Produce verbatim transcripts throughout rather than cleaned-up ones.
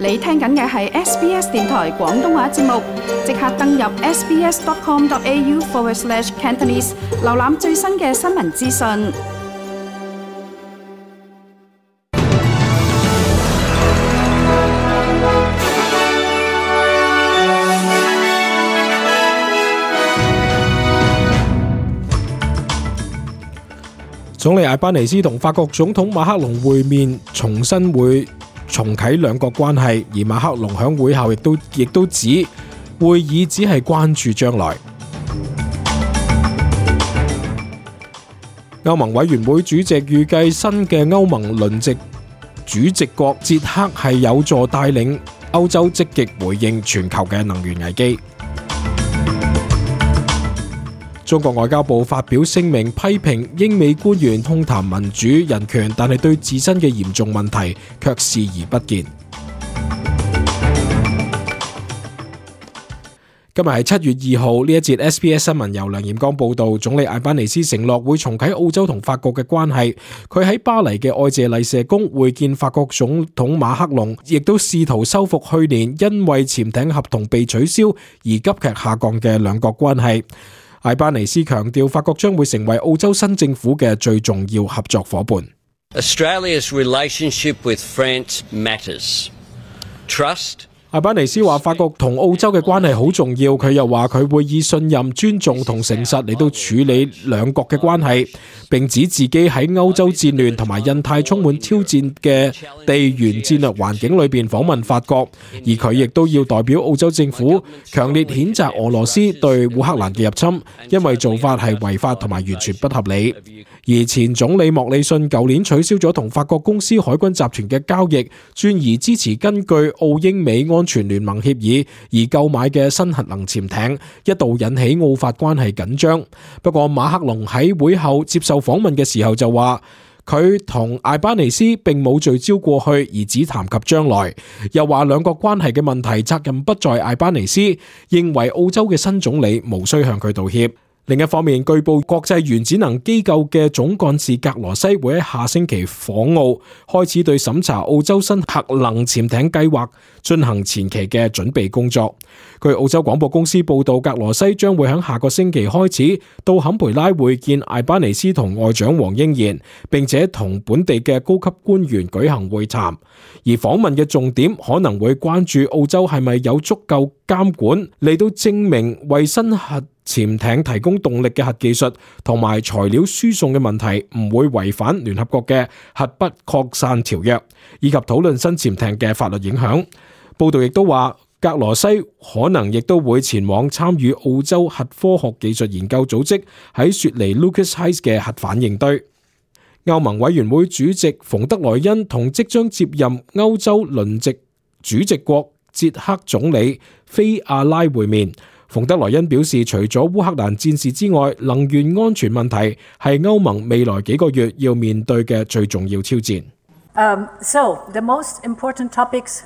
你聽緊嘅係 S B S 電台廣東話節目，即刻登入 sbs.com.au forward slash Cantonese， 瀏覽最新嘅新聞資訊。總理艾班尼斯同法國總統馬克龍會面，重新會重啟兩國關係，而馬克龍響會後亦都亦都指會議只係關注將來。歐盟委員會主席預計新嘅歐盟輪值主席國捷克係有助帶領歐洲積極回應全球嘅能源危機。中國外交部發表聲明，批評英美官員空談民主人權，但係對自身嘅嚴重問題卻視而不見。今日係七月二號，呢一節 S B S 新聞由梁彥剛報道。總理艾班尼斯承諾會重啟澳洲同法國嘅關係。佢喺巴黎嘅愛謝麗舍宮會見法國總統馬克龍，亦都試圖修復去年因為潛艇合同被取消而急劇下降嘅兩國關係。艾班尼斯強調，法國將會成為澳洲新政府嘅最重要合作夥伴。Australia's relationship with France matters. Trust. 艾班尼斯話法國同澳洲嘅關係好重要，佢又話佢會以信任、尊重同誠實嚟到處理兩國嘅關係，並指自己喺歐洲戰亂同埋印太充滿挑戰嘅地緣戰略環境裏邊訪問法國，而佢亦都要代表澳洲政府強烈譴責俄羅斯對烏克蘭嘅入侵，因為做法係違法同埋完全不合理。而前總理莫里遜舊年取消咗同法國公司海軍集團嘅交易，轉而支持根據澳英美安全聯盟協議而購買嘅新核能潛艇，一度引起澳法關係緊張。不過馬克龍喺會後接受訪問嘅時候就話，佢同艾班尼斯並冇聚焦過去，而只談及將來。又話兩國關係嘅問題責任不在艾班尼斯，認為澳洲嘅新總理無需向佢道歉。另一方面，據報國際原子能機構嘅總幹事格羅西會喺下星期訪澳，開始對審查澳洲新核能潛艇計劃進行前期嘅準備工作。據澳洲廣播公司報道，格羅西將會喺下個星期開始到坎培拉會見艾班尼斯同外長黃英賢，並且同本地嘅高級官員舉行會談。而訪問嘅重點可能會關注澳洲係咪有足夠監管嚟到證明為新核潛艇提供動力嘅核技術同埋材料輸送嘅問題唔會違反聯合國嘅核不擴散條約，以及討論新潛艇嘅法律影響。報道亦都話，格羅西可能亦都會前往參與澳洲核科學技術研究組織喺雪梨 Lucas Heights 嘅核反應堆。歐盟委員會主席馮德萊恩同即將接任歐洲輪值主席國捷克總理菲亞拉會面。馮德萊恩表示，除咗烏克蘭戰事之外，能源安全問題係歐盟未來幾個月要面對嘅最重要挑戰。Um, so, the most important topics.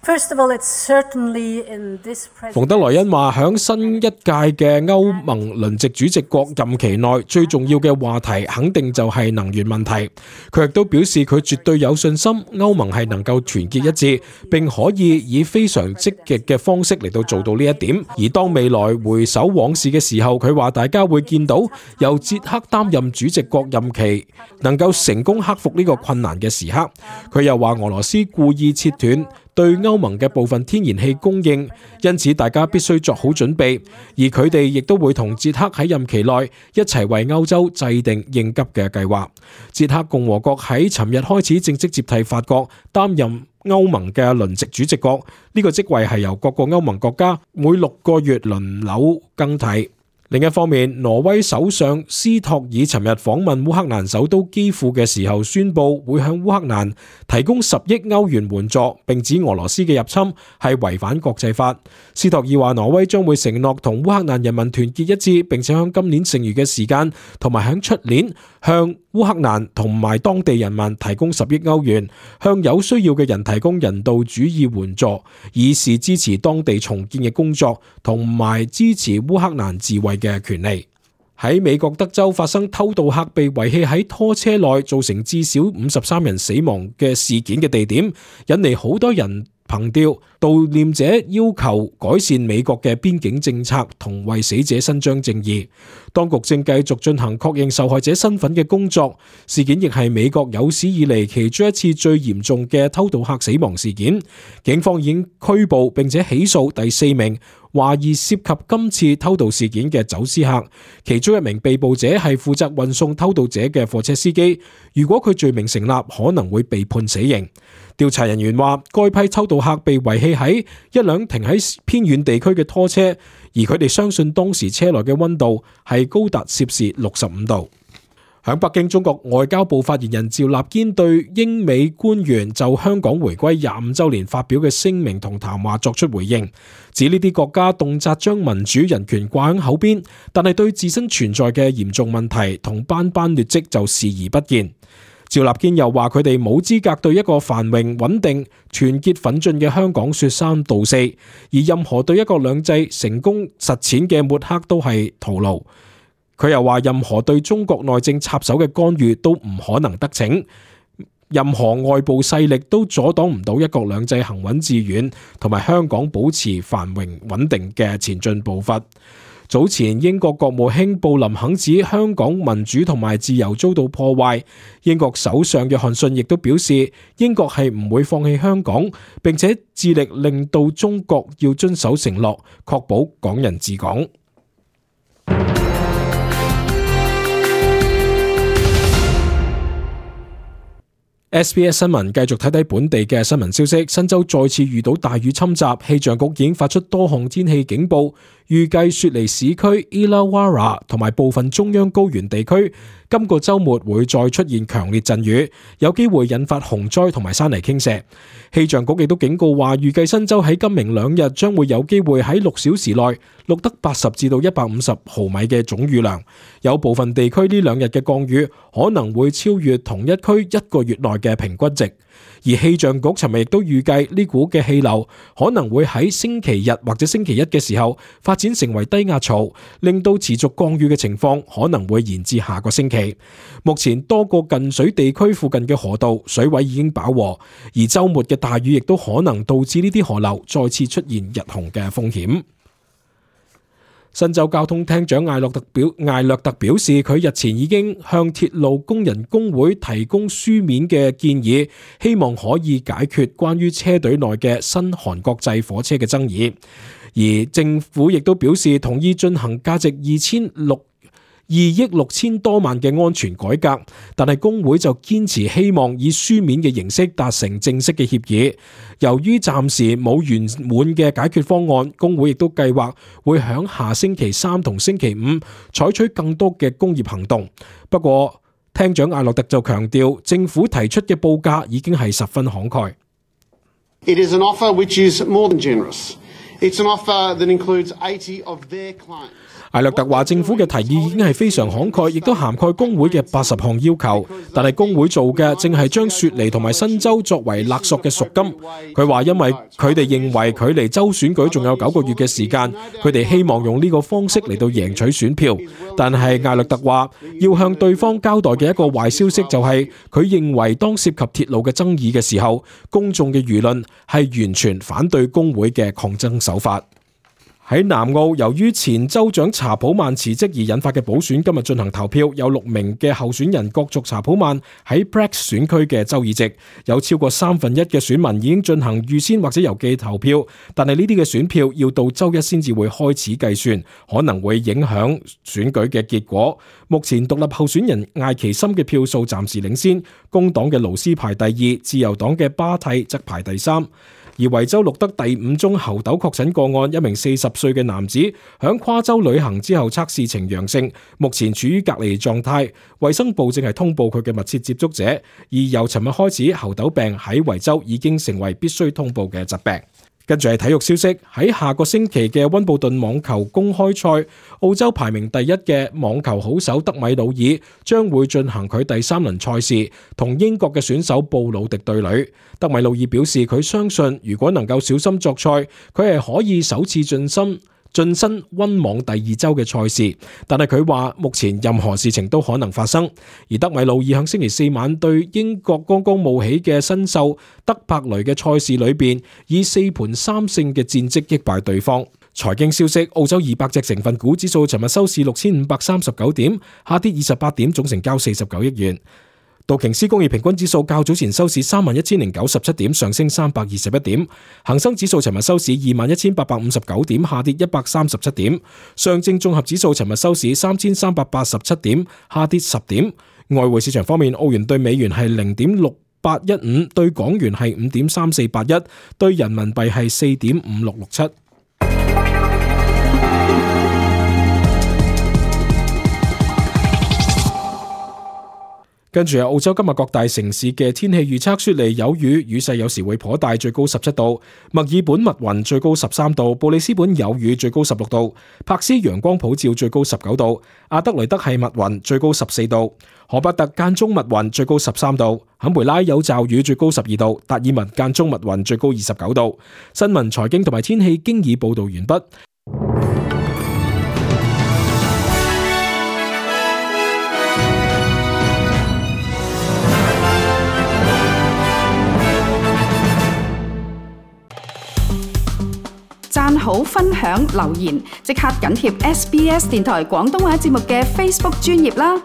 First of all, it's certainly in this president... 馮德萊恩話，響新一屆嘅歐盟輪值主席國任期內，最重要嘅話題肯定就係能源問題。佢亦都表示，佢絕對有信心歐盟係能夠團結一致，並可以以非常積極嘅方式嚟到做到呢一點。而當未來回首往事嘅時候，佢話大家會見到由捷克擔任主席國任期能夠成功克服呢個困難嘅時刻。佢又話俄羅斯故意切斷對歐盟嘅部分天然氣供應，因此大家必須作好準備，而佢哋亦都會同捷克喺任期內一齊為歐洲制定應急嘅計劃。捷克共和國喺尋日開始正式接替法國擔任歐盟嘅輪值主席國，呢個職位係由各個歐盟國家每六個月輪流更替。另一方面，挪威首相斯托爾尋日訪問烏克蘭首都基輔嘅時候，宣布會向烏克蘭提供十億歐元援助，並指俄羅斯嘅入侵係違反國際法。斯托爾話，挪威將會承諾同烏克蘭人民團結一致，並且喺今年剩餘嘅時間同埋喺出年向烏克蘭同埋當地人民提供十億歐元，向有需要嘅人提供人道主義援助，以示支持當地重建嘅工作，同埋支持烏克蘭自衛嘅權利。喺美國德州發生偷渡客被遺棄喺拖車內，造成至少五十三人死亡嘅事件嘅地點，引嚟好多人憑弔，悼念者要求改善美國嘅邊境政策同為死者伸張正義。當局正繼續進行確認受害者身份嘅工作。事件亦係美國有史以嚟其中一次最嚴重嘅偷渡客死亡事件。警方已經拘捕並且起訴第四名懷疑涉及今次偷渡事件嘅走私客，其中一名被捕者係負責運送偷渡者嘅貨車司機。如果佢罪名成立，可能會被判死刑。調查人員話，該批偷渡客被遺棄喺一輛停喺偏遠地區嘅拖車，而佢哋相信當時車內嘅溫度係高達攝氏六十五度。喺北京，中國外交部發言人趙立堅對英美官員就香港回歸廿五週年發表嘅聲明同談話作出回應，指呢啲國家動輒將民主人權掛喺口邊，但係對自身存在嘅嚴重問題同斑斑劣跡就視而不見。趙立堅又話，佢哋冇資格對一個繁榮穩定、團結奮進嘅香港說三道四，而任何對一國兩制成功實踐嘅抹黑都係徒勞。佢又話，任何對中國內政插手嘅干預都唔可能得逞，任何外部勢力都阻擋唔到一國兩制行穩致遠同埋香港保持繁榮穩定嘅前進步伐。早前英國國務卿布林肯指香港民主同埋自由遭到破壞，英國首相約翰遜亦都表示英國係唔會放棄香港，並且致力令到中國要遵守承諾，確保港人治港。S B S 新聞繼續睇睇本地嘅新聞消息。新州再次遇到大雨侵襲，氣象局已經發出多項天氣警報，預計雪梨市區、Illawarra 同埋部分中央高原地區今個週末會再出現強烈陣雨，有機會引發洪災同埋山泥傾瀉。氣象局亦都警告話，預計新州喺今明兩日將會有機會喺六小時內錄得八十至到一百五十毫米嘅總雨量，有部分地區呢兩日嘅降雨可能會超越同一區一個月內嘅平均值。而氣象局尋日亦都預計呢股嘅氣流可能會喺星期日或者星期一嘅時候發展成為低壓槽，令到持續降雨嘅情況可能會延至下個星期。目前多個近水地區附近嘅河道水位已經飽和，而週末嘅大雨亦都可能導致呢啲河流再次出現溢洪嘅風險。新州交通廳長艾略特表艾略特表示，佢日前已經向鐵路工人工會提供書面嘅建議，希望可以解決關於車隊內嘅新韓國製火車嘅爭議。而政府亦都表示同意進行價值二千六二億六千多萬嘅安全改革，但係工會就堅持希望以書面嘅形式達成正式嘅協議。由於暫時冇圓滿嘅解決方案，工會亦都計劃會響下星期三同星期五採取更多嘅工業行動。不過，廳長艾洛特就強調，政府提出嘅報價已經係十分慷慨。It is an offer which is more than generous. It's an offer that includes eighty of their claims. 艾略特話政府嘅提議已經係非常慷慨，亦都涵蓋工會嘅八十項要求，但係工會做嘅正係將雪梨同埋新州作為勒索嘅贖金。佢話因為佢哋認為距離州選舉仲有九個月嘅時間，佢哋希望用呢個方式嚟到贏取選票。但係艾略特話要向對方交代嘅一個壞消息就係，佢認為當涉及鐵路嘅爭議嘅時候，公眾嘅輿論係完全反對工會嘅抗爭手法。喺南澳，由於前州長查普曼辭職而引發嘅補選今日進行投票，有六名嘅候選人角逐查普曼喺 Bragg 選區嘅州議席，有超過三分一嘅選民已經進行預先或者郵寄投票，但係呢啲嘅選票要到周一先至會開始計算，可能會影響選舉嘅結果。目前獨立候選人艾奇森嘅票數暫時領先，工黨嘅勞斯排第二，自由黨嘅巴蒂則排第三。而維州錄得第五宗猴痘確診個案，一名四十歲嘅男子響跨州旅行之後測試呈陽性，目前處於隔離狀態。衛生部正係通報佢嘅密切接觸者，而由尋日開始，猴痘病喺維州已經成為必須通報嘅疾病。跟住係體育消息，喺下個星期嘅溫布頓網球公開賽，澳洲排名第一嘅網球好手德米魯爾將會進行佢第三輪賽事，同英國嘅選手布魯迪對壘。德米魯爾表示，佢相信如果能夠小心作賽，佢係可以首次進深晉身溫網第二周嘅賽事，但係佢話目前任何事情都可能發生。而德米魯爾響星期四晚對英國剛剛冒起嘅新秀德柏雷嘅賽事裏邊，以四盤三勝嘅戰績擊敗對方。財經消息，澳洲二百隻成分股指數尋日收市六千五百三十九點，下跌二十八點，總成交四十九億元。道瓊斯工業平均指數較早前收市三萬一千零九十七點，上升三百二十一點。恒生指數尋日收市二萬一千八百五十九點，下跌一百三十七點。上證綜合指數尋日收市三千三百八十七點，下跌十點。外匯市場方面，澳元對美元係零點六八一五，對港元係五點三四八一，對人民幣係四點五六六七。跟住係澳洲今日各大城市嘅天氣預測：雪梨有雨，雨勢有時會頗大，最高十七度；墨爾本密雲，最高十三度；布里斯本有雨，最高十六度；柏斯陽光普照，最高十九度；阿德雷德係密雲，最高十四度；荷伯特間中密雲，最高十三度；坎培拉有驟雨，最高十二度；達爾文間中密雲，最高二十九度。新聞、財經同埋天氣經已報道完畢。讚好、分享、留言，即刻緊貼 S B S 電台廣東話節目嘅 Facebook 專頁啦！